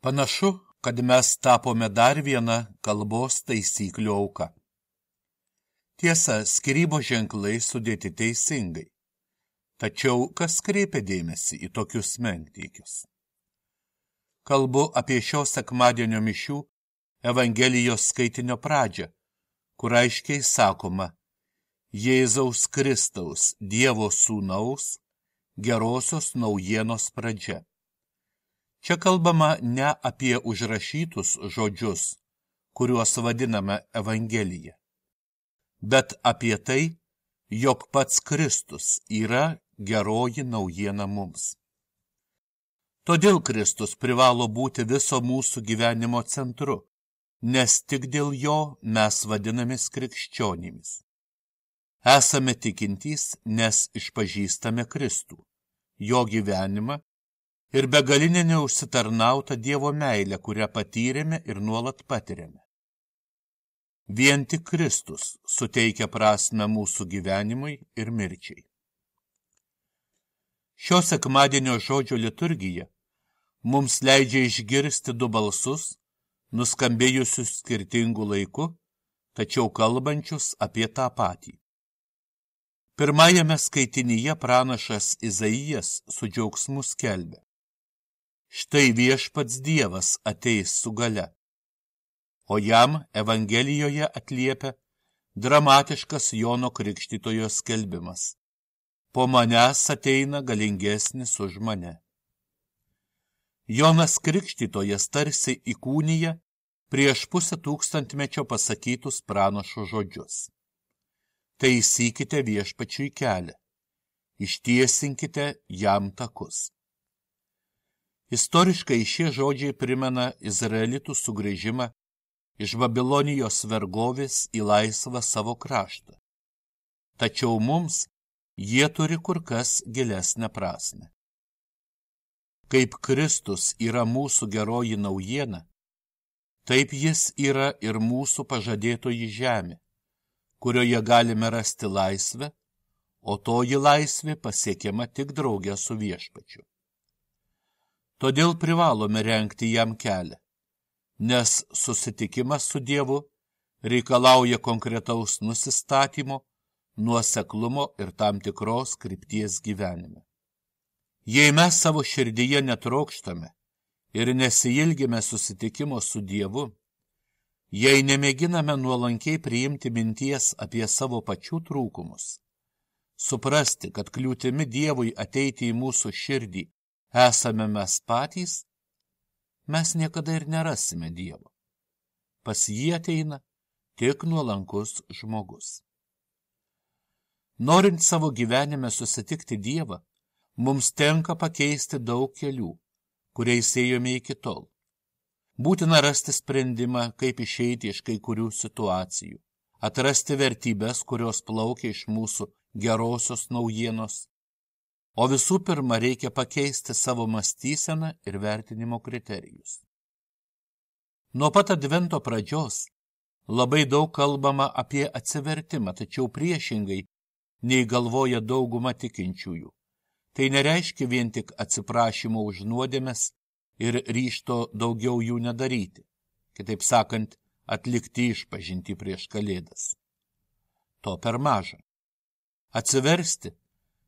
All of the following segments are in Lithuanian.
Panašu, kad mes tapome dar viena kalbos taisyklių auka. Tiesa, skyrybos ženklai sudėti teisingai. Tačiau kas kreipia dėmesį į tokius menkniekius? Kalbu apie šio sekmadienio mišių Evangelijos skaitinio pradžią, kur aiškiai sakoma Jėzaus Kristaus, Dievo Sūnaus, gerosios naujienos pradžia. Čia kalbama ne apie užrašytus žodžius, kuriuos vadiname Evangelija, bet apie tai, jog pats Kristus yra geroji naujiena mums. Todėl Kristus privalo būti viso mūsų gyvenimo centru, nes tik dėl jo mes vadinamės krikščionimis. Esame tikintys, nes išpažįstame Kristų, jo gyvenimą ir begalinę neužsitarnautą Dievo meilę, kurią patyrėme ir nuolat patiriame. Vien tik Kristus suteikia prasmę mūsų gyvenimui ir mirčiai. Šio sekmadienio žodžio liturgija mums leidžia išgirsti du balsus, nuskambėjusius skirtingų laikų, tačiau kalbančius apie tą patį. Pirmajame skaitinyje pranašas Izaijas su džiaugsmu skelbia: Štai viešpats Dievas ateis su galia, o jam Evangelijoje atliepia dramatiškas Jono Krikštytojo skelbimas: Po manęs ateina galingesnis už mane. Jonas Krikštytojas tarsi įkūnija prieš 500 metų pasakytus pranašo žodžius. Taisykite viešpačiui kelią, ištiesinkite jam takus. Istoriškai šie žodžiai primena izraelitų sugrįžimą iš Babilonijos vergovės į laisvą savo kraštą. Tačiau mums jie turi kur kas gilesnę prasmę. Kaip Kristus yra mūsų geroji naujiena, taip jis yra ir mūsų pažadėtoji žemė, kurioje galime rasti laisvę, o toji laisvė pasiekiama tik drauge su viešpačiu. Todėl privalome rengti jam kelią, nes susitikimas su Dievu reikalauja konkretaus nusistatymo, nuoseklumo ir tam tikros krypties gyvenime. Jei mes savo širdyje netrokštame ir nesiilgime susitikimo su Dievu, jei nemėginame nuolankiai priimti minties apie savo pačių trūkumus, suprasti, kad kliūtimi Dievui ateiti į mūsų širdį esame mes patys, mes niekada ir nerasime Dievo. Pas jį ateina tik nuolankus žmogus. Norint savo gyvenime susitikti Dievą, mums tenka pakeisti daug kelių, kuriais ėjome iki tol. Būtina rasti sprendimą, kaip išeiti iš kai kurių situacijų, atrasti vertybės, kurios plaukia iš mūsų gerosios naujienos, o visų pirma reikia pakeisti savo mąstyseną ir vertinimo kriterijus. Nuo pat Advento pradžios labai daug kalbama apie atsivertimą, tačiau priešingai nei galvoja dauguma tikinčiųjų. Tai nereiškia vien tik atsiprašymo už nuodėmes ir ryžto daugiau jų nedaryti, kitaip sakant, atlikti išpažintį prieš Kalėdas. To per maža. Atsiversti –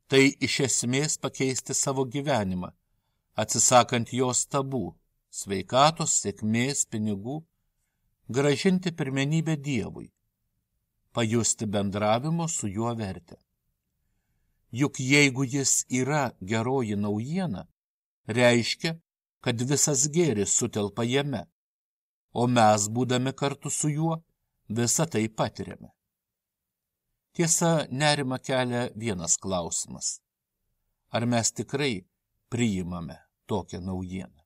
tai iš esmės pakeisti savo gyvenimą, atsisakant jos tabų, sveikatos, sėkmės, pinigų, grąžinti pirmenybę Dievui, pajusti bendravimo su juo vertę. Juk jeigu jis yra geroji naujiena, reiškia, kad visas gėris sutelpa jame, o mes, būdami kartu su juo, visą tai patiriame. Tiesa, nerimą kelia vienas klausimas. Ar mes tikrai priimame tokią naujieną?